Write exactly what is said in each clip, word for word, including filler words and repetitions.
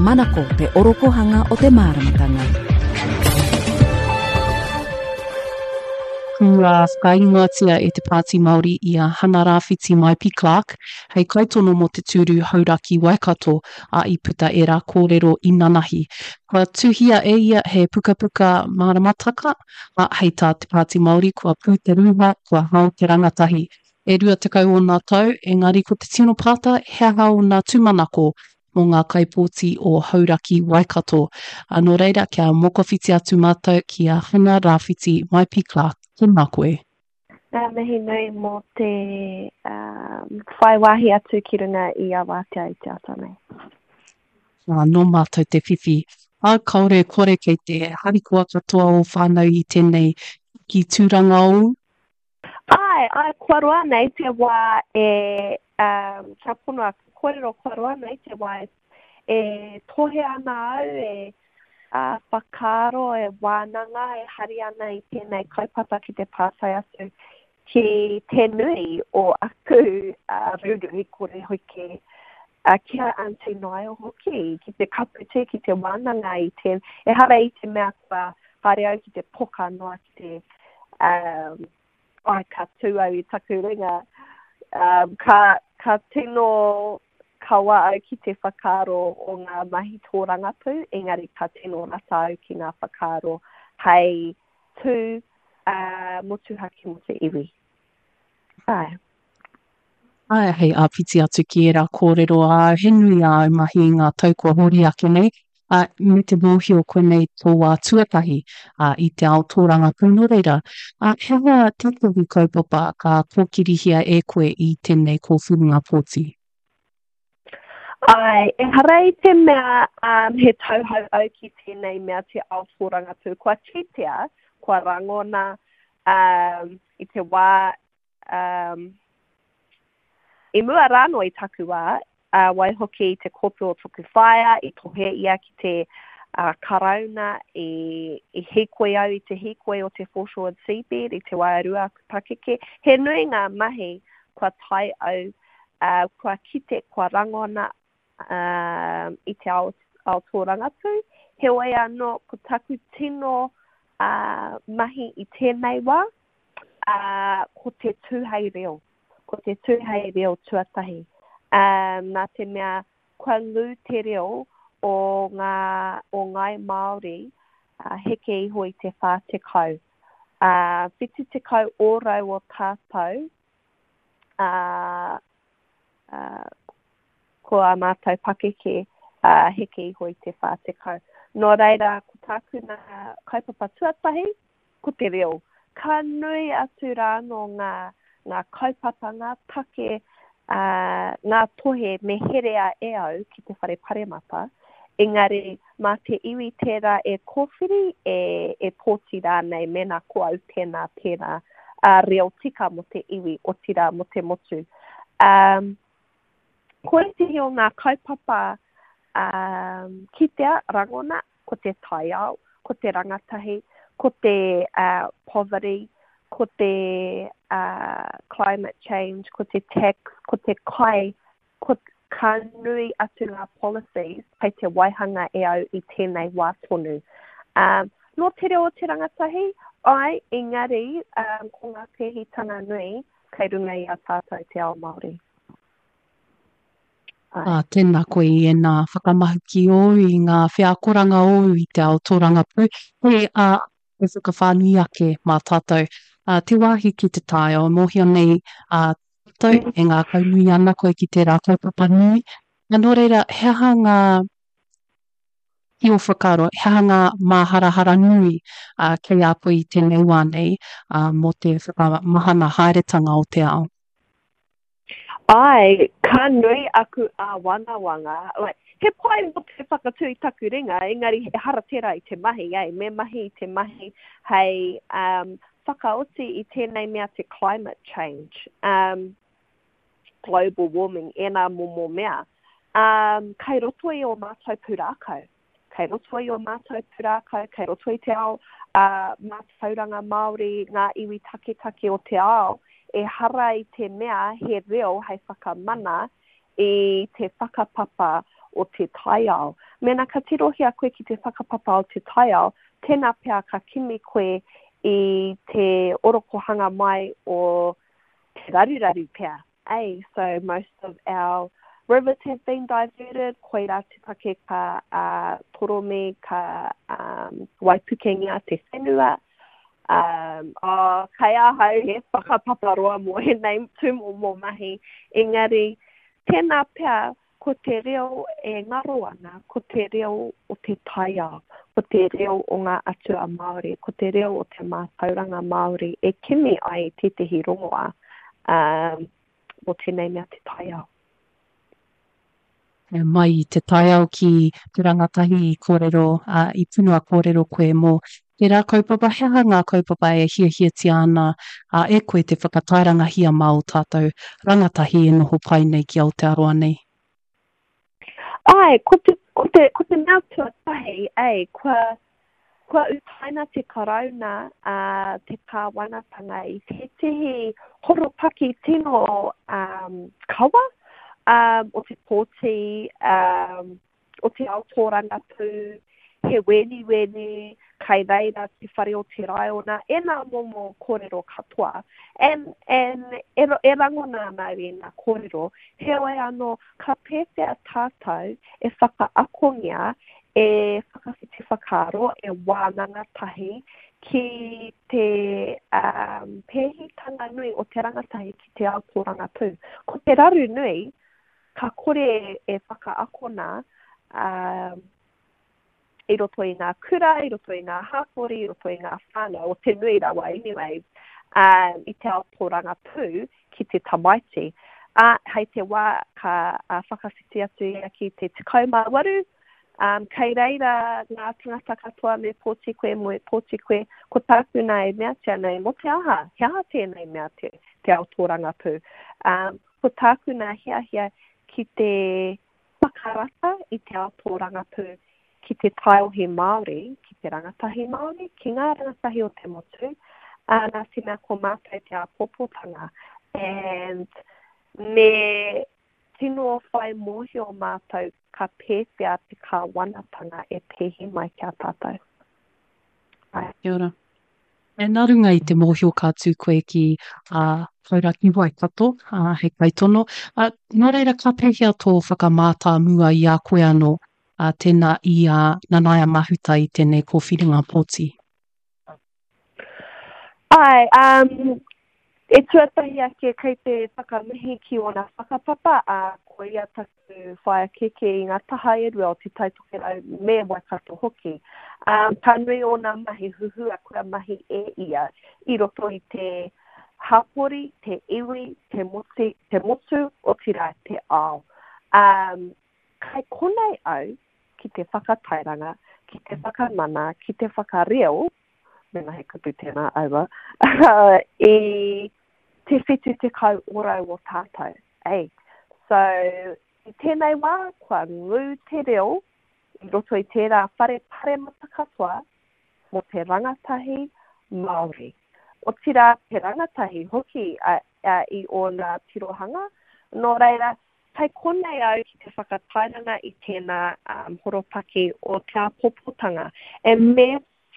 Manako te orokohanga o te māramatanga. Kua whakaingoatia e te Pāti Māori i a Hana Rāwhiti Maipi Clark hei kaitono mō te tūru Hauraki Waikato, ā, i puta ērā kōrero inanahi. Kua tuhia e ia he pukapuka māramataka, ā, hei tā te Pāti Māori kua pū te rūha, kua hao te rangatahi. E rua tekau ōna tau, engari ko te tino pātai, he aha ōna tūmanako mō ngā kaipōti o Hauraki Waikato. Ā, nō reira, kia mokowhiti atu mātou ki a Hana Rāwhiti Maipi Clark. Tēnā koe. Ngā mihi nui mō te um, whai wāhi atu ki runga i a Wātea i te ata nei. Ā, nō mātou te whiwhi. Ā, kāore e kore kei te harikoa katoa o whānau i tēnei ki tūranga ōu? Āe, āe, kua roa nei te wā e, um, kia pono aku kōrero, kua roa nei te wā e, e tohe ana au, e uh, whakaaro, e wānanga, e hari ana i tēnei kaupapa ki te pātai atu ki te nui o aku uh, ruru kore hoki, uh, ki a Aunty Niall hoki, ki te kapu tē, ki te wānanga i te, ehara i te mea kua haere au ki te poka noa ki te, um, ai, ka tū au i taku ringa, um, ka, ka tino kawa au ki te whakaaro o ngā mahi tōrangapū, engari ka tino rata au ki ngā whakaaro hei tū uh, motuhake mō te iwi. Ai. Ai, hei āpiti atu ki ērā kōrero āu, he nui āu mahi i ngā tau kua hori ake nei, ā, me te mōhio koinei tō wā tuatahi ā, i te ao tōrangapū. Nō reira, ā, he aha tētahi kaupapa ka kōkirihia e koe i tēnei kōwhiringa pōti? Ai, ehara i te mea um, he tauhou au ki tēnei mea te ao tōrangapū. Kua kitea, kua rangona um, i te wā, um, i mua rānō i taku wā, uh, waihoki i te kōpū o toku whaea, i tohe ia ki te uh, karauna, i, i hīkoi au i te hīkoi o te Foreshore Seabed, i te wā e rua aku pakeke. He nui ngā mahi kua tae au, uh, kua kite, kua rangona uh, i te ao, ao tōrangapū. Heoi anō, ko taku tino uh, mahi i tēnei wā, uh, ko te tū hei reo. Ko te tū hei reo tuatahi. Um, nā te mea kua ngū te reo o ngā, o Ngāi Māori uh, heke iho i te whā tekau. Uh, whitu tekau ōrau o tātou, uh, uh, ko ā mātou pakeke uh, heke iho i te whā tekau. Nō reira, ko tāku nā kaupapa tuatahi, ko te reo. Ka nui atu rānō ngā, ngā kaupapa, ngā take, uh, ngā tohe me herea e au ki te whare paremata, engari mā te iwi tērā e kōwhiri, e, e pōti rānei, mēnā ko au tēnā, tērā, uh, reo tika mō te iwi, otirā mō te motu. Um, ko ētehi o ngā kaupapa um, kitea, rangona, ko te taiao, ko te rangatahi, ko te uh, poverty, ko te uh, climate change, ko te tax, ko te kai, ko ka nui atu ngā policies kei te waihanga e au i tēnei wā tonu. Um, nō te reo o te rangatahi, ai, engari um, ko ngā pēhitanga nui kei runga i a tātou te ao Māori. Ai. Ā, tēnā koe i ēnā whakamahuki ōu, i ngā wheakoranga ōu i te ao tōrangapū. He, ā, he whakawhānui ake mā tātou. Ā, te wāhi ki te taiao, mōhio nei ā, tātou, e ngākaunui ana koe ki tērā kaupapa nui. Ā, nō reira, he aha ngā, ki ō whakaaro, he aha ngā māharahara nui ā, kei a koe i tēnei wā nei ā, mō te whakamahana haeretanga o te ao? Ai, ka nui aku āwangawanga, like, he pai mō te whakatū i taku ringa, engari ehara tērā i te mahi, eh, me mahi i te mahi hei um, whakaoti i tēnei mea te climate change, um, global warming, ēnā momo mea. Um, kei roto i ō mātou pūrākau. Kei roto i ō mātou pūrākau, kei roto i te ao uh, mātauranga Māori, ngā iwi taketake o te ao, ehara i te mea he reo hei whakamana i te whakapapa o te taiao. Mēnā ka tirohia koe ki te whakapapa o te taiao, tēnā pea ka kimi koe i te orokohanga mai o te raruraru pea. Ei, so most of our rivers have been diverted, koirā te take ka uh, toromi, ka um, waipukengia te whenua. Um, oh, kei ahau he whakapapa roa mō ēnei tūmomo mahi, engari tēnā pea ko te reo e ngaro ana, ko te reo o te taiao, ko te reo o ngā atua Māori, ko te reo o te mātauranga Māori e kimi ai tētehi rongoā um, mō tēnei mea te taiao. Mai i te taiao ki te rangatahi i kōrero, uh, i punua kōrero koe mō tērā kaupapa, he aha ngā kaupapa e hiahiatia ana uh, e koe te whakatairangahia mā o tātou rangatahi e noho pai nei ki Aotearoa nei? Ai, ko te, ko te, ko te mea tuatahi, ei, kua, kua utaina te Karauna, uh, te kāwanatanga i tētehi horopaki tino um, kawa um, o te pōti, um, o te ao tōrangapū, he weniweni, kai reira te whare o te raiona, e nā momo kōrero katoa. And, and e, e rangona ana au i nā kōrero, heoi anō, ka pēwhea tātou e whakaakongia, e whakawhiti whakaaro, e wānanga tahi ki te um, pēhitanga nui o te rangatahi ki te ao tōrangapū. Ko te raru nui, ka kore e whakaakona um, i roto i ngā kura, i roto i ngā hapori, i roto i ngā whānau, o te nui rawa anyways, um, i te ao tōrangapū ki te tamaiti. Uh, hei te wā ka uh, whakawhiti atu ia ki te tekau mā waru, um, kei reira ngā tangata katoa me pōti koe, me pōti koe, ko tāku nā e meatia nei, mō te aha, he aha tēnei mea te, te ao tōrangapū. Um, ko tāku nā hiahia ki te whakarata i te ao tōrangapū ki te taiohi Māori, ki te rangatahi Māori, ki ngā rangatahi o te motu, uh, nā te mea ko mātou te āpōpōtanga. And me tino whai mōhio mātou ka pēwhea te kāwanatanga e pēhi mai ki a tātou. Ai. Kia ora. E nā runga i te mōhio ka tū koe ki uh, Hauraki Waikato, uh, hei kaitono. Uh, nō reira, ka pēhea tō whakamātāmua i a koe anō, uh, tēnā i a Nanaia Mahuta i tēnei kōwhiringa pōti? Ai, um, e tuatahi ake kei te whakamihi ki ōna whakapapa, a ko ia taku whaea kēkē i ngā taha e rua o Te Tai Tokerau me Waikato hoki. Um, ka nui ōna mahi huhua kua mahi e ia i roto i te hapori, te iwi, te, moti, te motu, otirā te ao. Um, kai konei au ki te whakatairanga, ki te whakamana, ki te whakareo, mena he kupu tēnā aua, i te whitu tekau ōrau o tātou. Ei. So, i tēnei wā, kua ngū te reo i roto i tērā whare paremata katoa mō te rangatahi Māori. Otirā te rangatahi hoki a, a, i ōna tirohanga. Nō reira, kei konei au ki te whakatairanga i tēnā um, horopaki o te āpōpōtanga. E me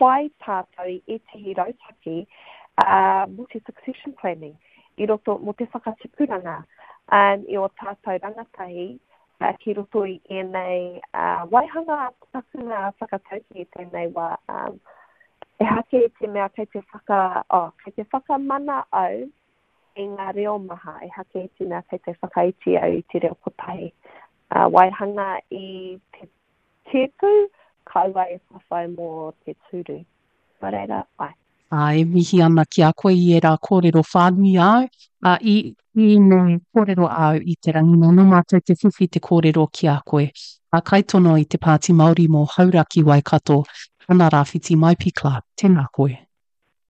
whai tātou i ētehi rautaki uh, mō te succession planning, i roto mō te whakatipuranga um, i o tātou rangatahi uh, ki roto i ēnei uh, waihanga takunga whakatauki i tēnei wā. Um, ehake i te mea kei te, whaka, oh, kei te whakamana au i ngā reo maha, ehake i te mea kei te whakaiti au i te reo kotahi. Uh, waihanga i te tēpu, kaua e whawhai mō te tūru. Nō reira, ai. Ā, e mihi ana ki a koe i ērā kōrero whānui āu, ā, i, i ēnei kōrero āu i te rangi nei, nō mātou te whiwhi te kōrero ki a koe. Ā, kaitono i te Pāti Māori mō Hauraki Waikato, Hana Rāwhiti Maipi Clarke, tēnā koe.